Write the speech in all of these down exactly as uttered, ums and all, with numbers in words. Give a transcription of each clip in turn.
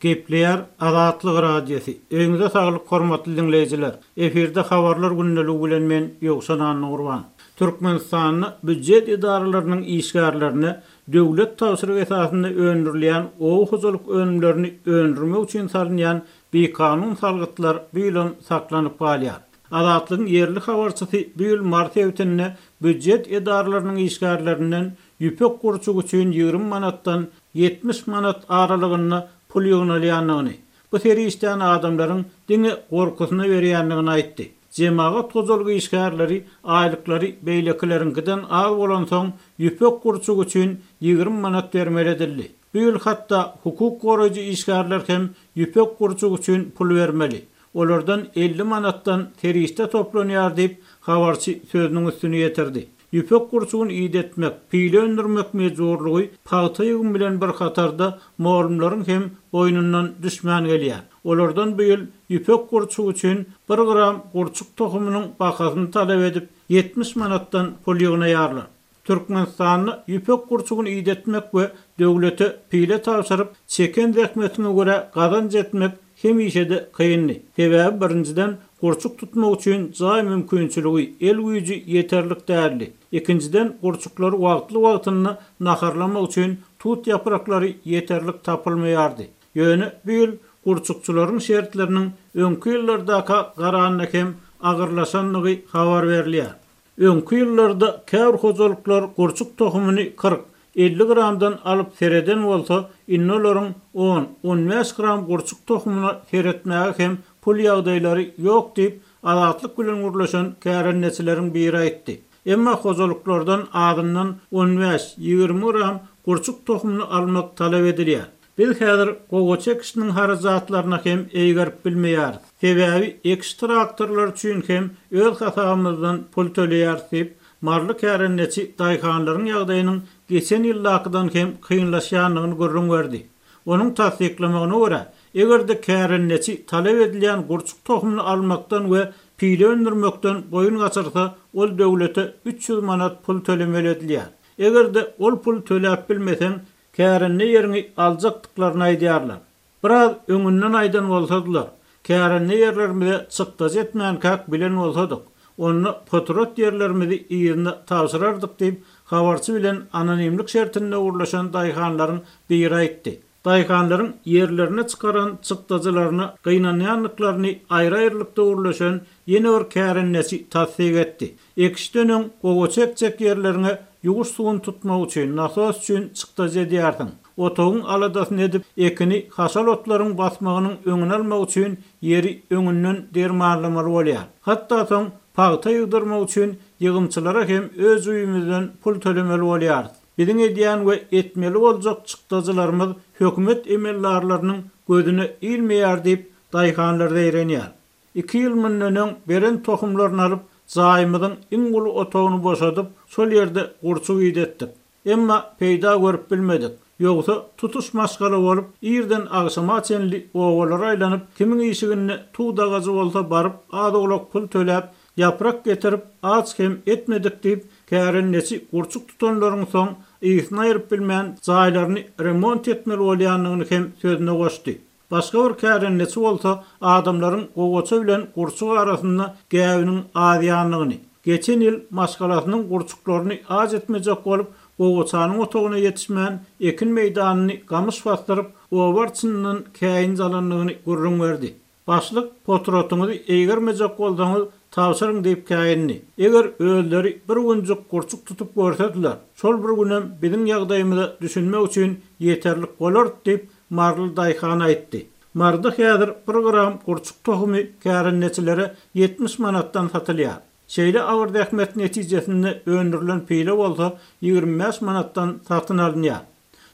Gepleýär Azatlyk Radiosy. Öýüňize saglyk hormatly dinleýjiler. Efirde habarlar gündeligi bilen men Ýowşan Annagurban. Türkmenistanda býujet edaralarynyň işgärlerine döwlet tabşyrygy esasynda öndürilýän oba hojalyk önümlerini öndürmek üçin salynýan bikanun salgytlar bu ýylam saklanyp galýar. Azatlygyň ýerli habarçysy bu ýyl mart sebitinde býujet edaralarynyň işgärlerinden ýüpek gurçugy üçin ýigrimi manatdan ýetmiş manat aralygynda pul ýygnalýandygyny, bu serişdäni adamlaryň diňe gorkusyna berýändigini aýtdy. Jemagat hojalyk işgärleri aýlyklary beýlekileriňkiden az bolansoň ýüpek gurçugy üçin ýigrimi manat bermeli edildi. Bu ýyl hatda hukuk goraýjy işgärler hem ýüpek gurçugy üçin pul bermeli. Olardan elli manatdan serişde toplanýar diýip habarçy sözüniň üstüni ýetirdi. Ýüpek gurçugyny idetmek, pile öndürmek mejburlygy pagta ýygym bilen bir hatarda mugallymlaryň hem boýnundan düşmän gelýär. Olardan bu ýyl ýüpek gurçugy üçin bir gram gurçuk tohumynyň bahasyny talap edip ýetmiş manatdan pul ýygnaýarlar. Türkmenistanda ýüpek gurçugyny idetmek we döwlete pile tabşyryp çeken zähmetine görä gazanç etmek hemişe-de kyndy. Sebäbi birinjiden gurçuk tutmak üçin jaý mümkinçiligi, el güýji ýeterlik däldi. Ikinjiden gurçuklary wagtly wagtynda naharlamak üçin tut ýapraklary ýeterlik tapylmaýardy. Ýöne bu ýyl gurçukçylaryň şertleriniň öňki ýyllardaka garanda hem agyrlaşandygy habar berilýär. Öňki ýyllarda käbir hojalyklar gurçuk tohumyny kyrk, elli gramdan alyp sereden bolsa, indi olaryň on, on bäş gram gurçuk tohumyna seretmäge hem pul ýagdaýlary ýok diýip Azatlyk bilen gürleşen kärendeçileriň biri aýtdy. Emma hojalyklardan azyndan on bäş, ýigrimi gram gurçuk tohumyny almak talap edilýär. Biz häzir gowaça ekişiniň harajatlaryna hem eýgerip bilmeýäris. Sebäbi ekiş traktorlar üçin hem öz hasabymyzdan pul töleýäris diýip Marly kärendeçi daýhanlaryň ýagdaýynyň geçen ýyldakydan hem kynlaşýandygyny gürrüň berdi. Onuň tassyklamagyna görä, eger-de kärendeçi talap edilýän gurçuk tohumyny almakdan we pile öndürmekden boýun gaçyrsa, ol döwlete üç ýüz manat pul tölemeli edilýär. Eger-de ol pul töläp bilmeseň, kärende ýeriňi aljakdyklaryny aýdýarlar. Biraz öňünden aýdan bolsadylar, kärende ýerlerimize çykdajy etmänkäk bilen bolsadyk, onda potrat ýerlerimizi ýerine tabşyrardyk diýip habarçy bilen anonimlik şertinde gürleşen daýhanlaryň biri aýtdy. Daýhanlaryň ýerlerine çykaran çykdajylaryna gynanýandyklaryny aýry-aýrylykda gürleşen ýene bir kärendeçi tassyk etdi. Ekişden öň gowaça ekjek ýerleriňe ýuwuş suwuny tutmak üçin, nasos üçin çykdajy edýärsiň. Otagyň aladasyny edip, ekini haşal otlaryň basmagynyň öňüni almak üçin ýeri öňünden dermanlamaly bolýar. Hatda soň pagta ýygdyrmak üçin ýygymçylara hem öz öýümizden pul tölemeli bolýarys. Biziň edýän we etmeli boljak çykdajylarymyz hökümet emeldarlarynyň gözüne ilmeýär diýip daýhanlar zeýrenýär. Iki ýyl mundan öň beren tohumlaryny alyp, jaýymyzyň iň uly otagyny boşadyp, şol ýerde gurçuk idetdik. Emma peýda görüp bilmedik. Ýogsa tutuş maşgala bolup, irden agşama çenli obalara aýlanyp, kimiň işiginde tut agajy bolsa baryp, az-owlak pul töläp, ýaprak getirip, aç hem etmedik diýip, kärendeçi gurçuk tutanlaryň soň ýygysyny aýryp bilmän jaýlaryny remont etmeli bolýandygyny hem sözüne goşdy. Başga bir kärendeçi bolsa adamlaryň gowaça bilen gurçuk arasynda gäwiniň azýandygyny, geçen ýyl maşgalasynyň gurçuklaryny aç etmejek bolup, gowaçanyň otagyna ýetişmän, ekin meýdanyny gamyş basdyryp, oba arçynyndan käýinç alandygyny gürrüň berdi. Başlyk potratyňyzy eýgermejek bolsaňyz tabşyryň diýip käýindi. Eger özleri bir günjük gurçuk tutup görsediler, şol bir günem biziň ýagdaýymyza düşünmek üçin ýeterlik bolar diýip Marly daýhan aýtdy. Marda häzir bir gram gurçuk tohumy kärendeçilere ýetmiş manatdan satylýar. Şeýle agyr zähmet netijesinde öndürilen pile bolsa ýigrimi bäş manatdan satyn alynýar.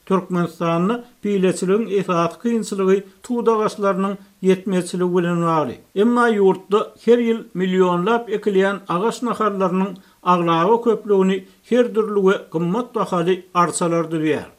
Türkmenistanda pileçiligiň esasy kynçylygy tut agaçlarynyň ýetmezçiligi bilen bagly. Emma ýurtda her ýyl millionlap ekilýän agaç nahallarynyň aglaba köplügini her dürli we gymmat bahaly arçalar düzýär.